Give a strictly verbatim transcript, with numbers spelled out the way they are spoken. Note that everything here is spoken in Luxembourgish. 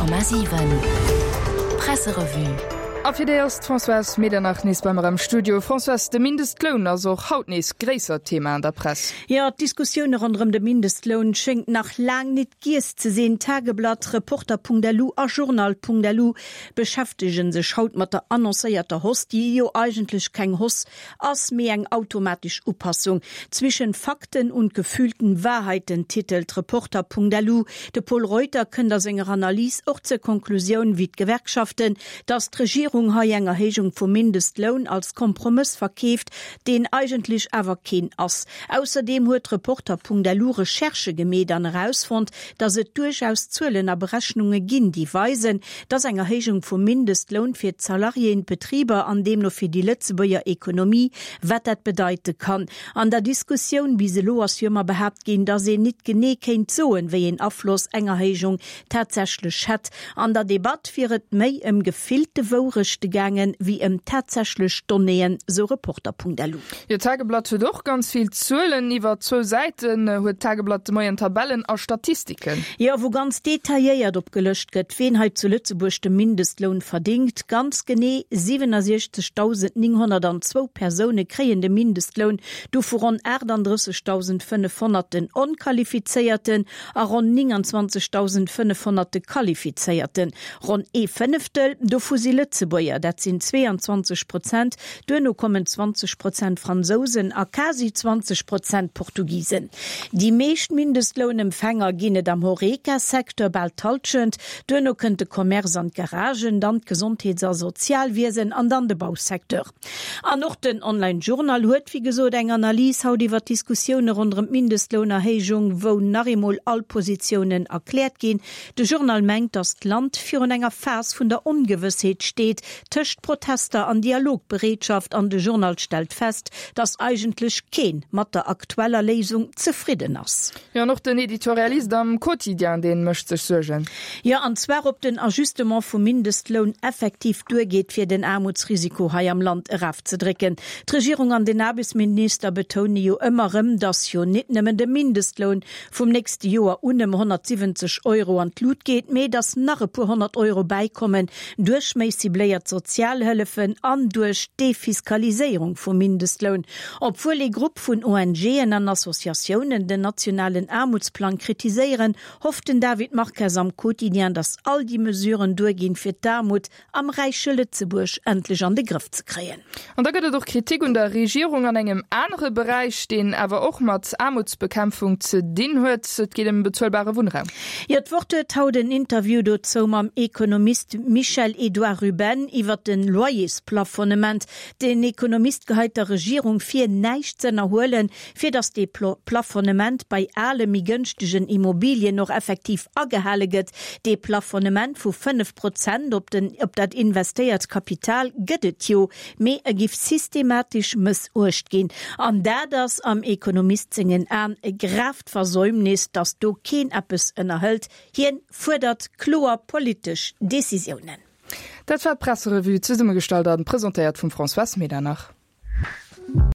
Honnert Komma siwen Presserevue. A fir déi ass d'Françoise Medernach nees bei mer am Studio. Françoise, de Mindestloun ass och haut nees gréissert Thema an der Press. Jo, d'Diskussioune ronderëm de Mindestloun schéngt nach laang nit giess ze sinn. Tageblatt, Reporter.lu a Journal.lu beschäftege sech haut mat der annoncéierter Hausse, déi jo eigentlech keng Hausse ass, mee eng automatesch Upassung. Zwischen Fakten und gefühlten Wahrheiten titelt Reporter.lu. De Pol Reuter kënnt a senger Analys och zur Konklusioun wéi d'Gewerkschaften, datt d'Regierung hei eng Erhéijung vum Mindestloun als Kompromëss verkeeft, deen eigentlech awer keen ass. Ausserdeem huet Reporter.lu Recherchë gemeet an erausfonnt, datt et duerchaus Zuelen a Berechnunge ginn, déi weisen, datt eng Erhéijung vum Mindestloun fir d'Salariéen, d'Betriber an deemno fir déi Lëtzebuerger Ekonomie, wat dat bedeite kann. An der Diskussioun bis elo ass jo ëmmer behaapt ginn, datt een nit genee kéint soen, wéi een Afloss eng Erhéijung tatsächlech hätt. An der Debatt wier et méi ëm gefillte Wourechte gaangen, wéi ëm tatsächlech Donnéeën, sou Reporter.lu. Jo, d'Tageblatt huet och ganz vill Zuelen. Iwwer zwou Säiten huet d'Tageblatt de Moien Tabellen a Statistiken. Jo, wou ganz detailléiert opgelëscht gëtt, ween hei zu Lëtzebuerg de Mindestloun verdingt. Ganz genee siwenundsechzegdausend nénghonnertanzwou Persoune kréien de Mindestloun, dovu ronn achtundrëssegdausendfënnefhonnert den onqualifizéierten a ronn nénganzwanzegdausendfënnefhonnert de qualifizéierten. Ronn ee Fënneftel dovu si Lëtzebuerger, dat sinn zweeanzwanzeg Prozent, duerno kommen zwanzeg Prozent Fransousen a quasi zwanzeg Prozent Portugisen. Déi meescht Mindestlounempfänger ginn et am Horeca-Secteur, bal d'Hallschent, duerno kënnt de Commerce an d'Garagen, dann d'Gesondheets a Sozialwiesen an dann de Bausecteur. An och den Online Journal huet wéi gesot eng Analys haut iwwer d'Diskussioune ronderëm d'Mindestlounerhéijung, wou nach eemol all Positiounen erkläert ginn. De Journal mengt, datt d'Land virun enger Phas vun der Ongewëssheet steet, tëscht Protester an Dialogbereetschaft an de Journal stellt fest, datt eigentlech keen mat der aktueller Léisung zefridden ass. Jo, an och den Editorialist am Quotidien, dee mécht sech Suergen. Jo, an zwar ob den Ajustement vum Mindestloun effektiv duergeet, fir den Aarmutsrisiko hei am Land erafzedrécken. D'Regierung an den Aarbechtsminister betoune jo ëmmer erëm, datt jo nit nëmmen de Mindestloun vum nächste Joer un ëm honnertsiwwenzeg Euro an d'Lut geet, mee datt nach e puer honnert Euro bäikommen duerch méi cibléiert Sozialhëllefen an duerch d'Defiskaliséierung vum Mindestloun. Obwuel ee Grupp vun ONGen an Associatiounen den nationalen Aarmutsplang kritiséieren, hofft den David Marques am Quotidien, datt all déi Mesuren duerginn, fir d'Aarmut am räiche Lëtzebuerg endlech an de Grëff ze kréien. An da gëtt et och Kritik un der Regierung an engem anere Beräich, deen awer och mat Aarmutsbekämpfung ze dinn huet, Et geet ëm bezuelbare Wunnraum. Jo, d'Wort huet haut en Interview dozou mam Ekonomist Michel-Edouard Ruben iwwert de Loyersplafonnement. Den Ekonomist geheit der Regierung vir, näischt z'ënnerhuelen, fir datt dee Plafonnement bei ale méi gënschtegen Immobilien och effektiv agehale gëtt. Dee Plafonnement vu fënnef Prozent op den op dat investéiert Kapital gëtt et jo, mee e giff systematesch mëssuecht ginn. An dat ass am Ekonomist sengen Aen e gravt Versäumnis, datt do keen eppes ënnerhëlt. Hien fuerdert kloer politesch Decisiounen. Dat war d'Presserevue, zesummegestallt an presentéiert vum Françoise Medernach.